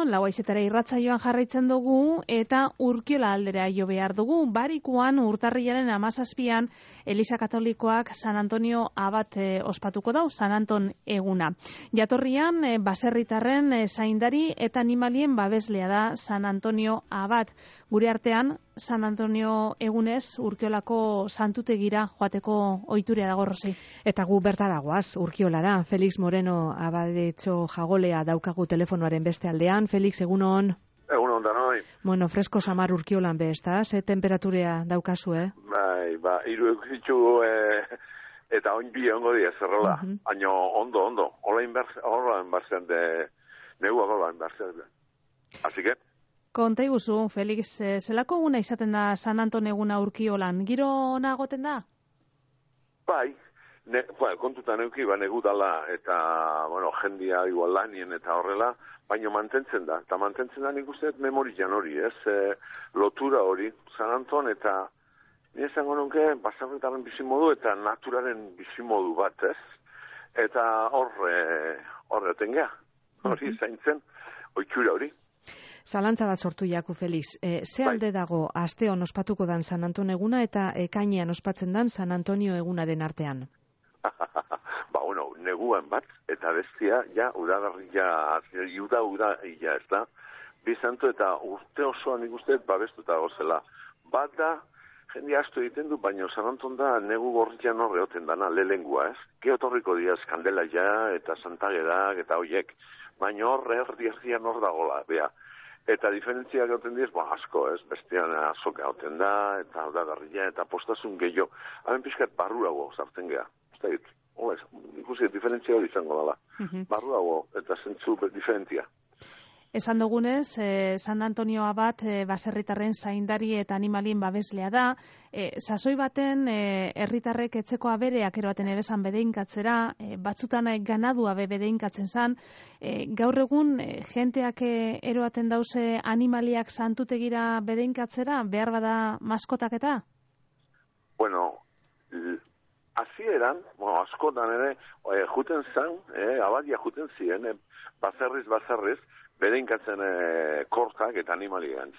lauaizetara irratsaioan jarraitzen dugu eta Urkiola aldera jo behar dugu. Barikuan urtarrilaren 17an Eliza Katolikoak San Antonio abat ospatuko dau, San Anton eguna. Jatorrian baserritarren zaindari eta animalien babeslea da San Antonio abat. Gure artean San Antonio egunez Urkiolako santutegira joateko ohitura dago, Rosi. Eta gu bertaragoaz Urkiolara. Felix Moreno abadetxo jagolea daukagu telefonoaren beste aldean. Felix, egunon. Egunon da noi. Bueno, fresko samar Urkiolan be, ezta? Ze temperaturea daukazu, Bai, hiru eguzitu eta oin bi ongo dia zerrola. Baina ondo. Hola inbertzen de negua gola inbertzen. Así que konta iguzu, Felix, zelako eguna izaten da San Anton eguna Urkiolan? Giro ona egoten da? Bai, kontutan euki, negu dala, eta, jendia igual lanien eta horrela, baina mantentzen da. Eta mantentzen da nik uste memorian hori, lotura hori, San Anton eta, nire zango nunke, baserritaren bizimodu eta naturaren bizimodu bat, Eta horre tengea, hori zaintzen, oitxura hori. Zalantza bat sortu jaku, Felix. Ze alde dago asteon ospatuko dan San Anton eguna eta ekainean ospatzen dan San Antonio egunaren artean? Neguan bat, eta bestia, udagarria, uda, ez da? Bizanto eta urte osoan ikusteet babestuta gozela. Bat da, jende astu egiten du, baina San Anton da negu gorrian horre oten dana, lelengua, Geotorriko diaz, kandela ja, eta santagerak, eta hoiek. Baina horre erdian hor dagola, bea. Eta diferentzia gauten diez, asko, bestean azoka oten da, eta udagarria, eta postasun gehiago. Hemen pixkat barrurago sartzen geha. Ikusi, diferentzia hori izango dela. Barruago eta zentzu diferentzia. Esan dugunez, San Antonio abat baserritarren zaindari eta animalien babeslea da. Sasoi baten herritarrek etzeko abereak eroaten ebesan bedeinkatzera, batzutan ganadua bedeinkatzen zan. Gaur egun, jenteak eroaten dauze animaliak santutegira bedeinkatzera, behar bada maskotak eta? Hasieran, askotan ere, juten zan, abadia juten ziren, baserriz, bedeinkatzen kortak eta animalien,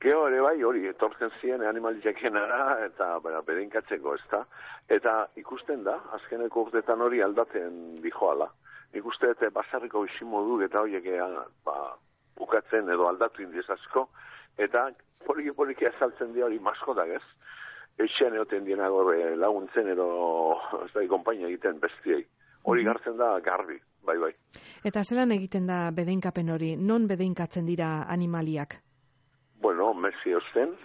Geo ere bai hori, etortzen ziren animaliakenara eta bedeinkatzeko, ezta? Eta ikusten da, azkeneko urtetan hori aldaten dijoala. Ikuste eta baserriko bizimodu eta horiek bukatzen edo aldatu indiez asko, eta poliki azaltzen dira hori maskotak, Etxean egoten dienago laguntzen edo konpainia egiten bestiei. Hori gartzen da garbi, bai. Eta zelan egiten da bedeinkapen hori? Non bedeinkatzen dira animaliak? Mesi osten,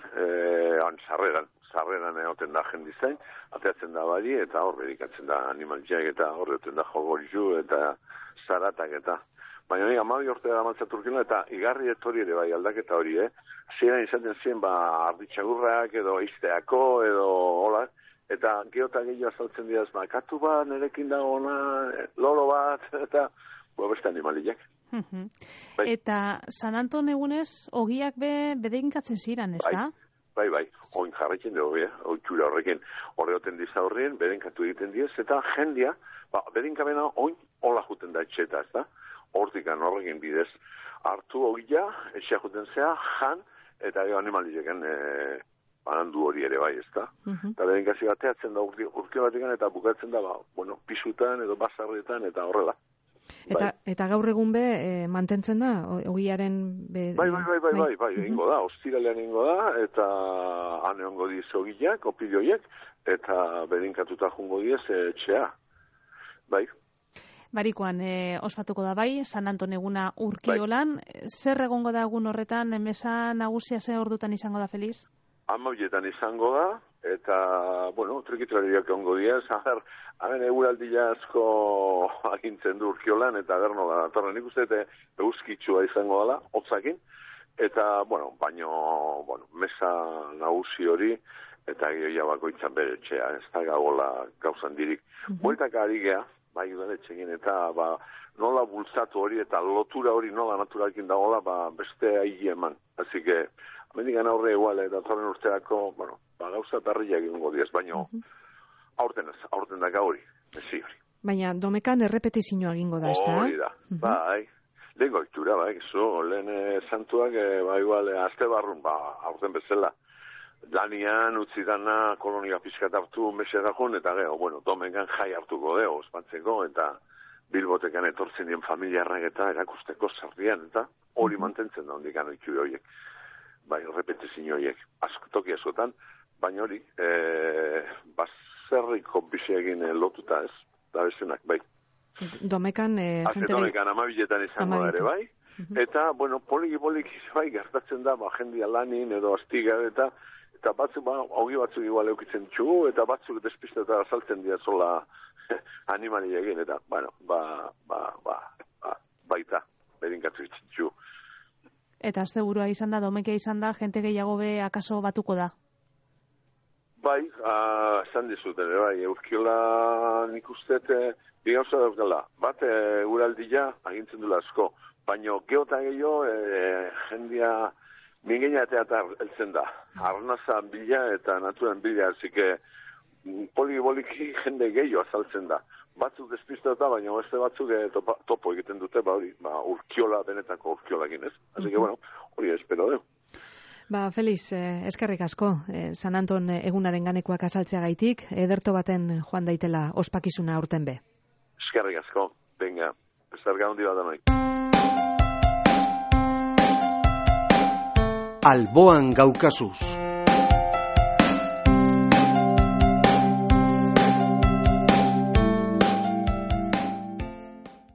sarreran egoten da jendizain, ateatzen da bali eta hor bedeinkatzen da animaliak eta hor egoten da jogorizu eta zaratak eta. Baina nik 12 urte da Urkiola eta igarri etori ere bai aldaketa hori, Ziren izaten ziren arditxagurrak edo izteako edo hola, eta geota gehiago azaltzen dira katu bat, nerekin dagona, loro bat, eta beste animaliak. Eta San Anton egunez, ogiak bedeinkatzen ziren, ez da? Bai, oin jarretzen dugu, oitxura horrekin. Horreoten diza horrien, bedeinkatu egiten diez, eta jendia, bedeinkabena oin hola juten da etxeta, ez da? Hortikan horrekin bidez hartu ogia, etxea juten zea, jan, eta animalieken banandu hori ere bai, ezta? Eta bedeinkazio bateatzen da urkio batekan eta bukatzen da, pisutan edo basarretan eta horrela. Eta gaur egun mantentzen da, ogiaren... Bai, ingo da, ostiralean ingo da, eta hane ongo diz ogiak, opidioiek, eta bedeinkatuta jungo diez etxea. Bai. Barikoan ospatuko da bai, San Anton eguna Urkiolan. Zer egongo da egun horretan, mesa nagusia ze ordutan izango da, Feliz? 12etan izango da, eta, trikitrariak egongo diaz, hemen eguraldia asko agintzen du Urkiolan, eta gerno da, torren ikuste, euskitsua izango dela, hotzakin, eta, mesa nagusi hori, eta gehia bakoitzan bere etxea, ez da gagola gauzan dirik. Bueltak ari geha, bai udaletxekin eta nola bultzatu hori eta lotura hori nola naturalkin dagoela beste aigi eman. Así que, amendikan aurre igual eta torren urteako, gauza berriak egingo diaz, baina aurten daka hori, bezi hori. Baina domekan errepetizioa egingo da, ez da? Hori da, bai. lehen goitura, lehen santuak, igual, azte barrun, aurten bezala. Lanian, utzi dana, kolonia pizkat hartu, mesedakon, eta gero, domengan jai hartuko ospatzeko, eta Bilbotekan etortzen dien familiarrak eta erakusteko sarrian, eta hori mantentzen da hondik anoitxu horiek. Bai, repetizio horiek, toki askotan, baina hori, baserriko biseegin lotuta ez, da bezenak, bai. Domekan, Domekan, amabiletan izango da ere, bai. Eta, poliki, bai, gertatzen da, jendia lanin edo astiga, eta batzuk, hogi batzuk igual eukitzen txugu, eta batzuk despisteta azaltzen dira zola animali egin, eta, baita, berinkatzu itxintxu. Eta asteburua izan da, Domeka izan da, jente gehiago be akaso batuko da? Bai, esan dizuten, bai, Urkiola nik usteet, bigauza daukala, bat uraldia agintzen dula asko, baina geotan gehiago, jendia mingeina eta heltzen da, arnaza bila eta naturan bila, zike poliki jende gehiago azaltzen da. Batzuk despistata, baina beste batzuk topo egiten dute, Urkiola benetako Urkiolakin, ez? Así que, hori espero, Feliz, eskerrik asko, San Anton egunaren ganekoak azaltzea gaitik, ederto baten joan daitela ospakizuna aurten be. Eskerrik asko, venga, estarga hondi bat anoi. Alboan gaukasuz.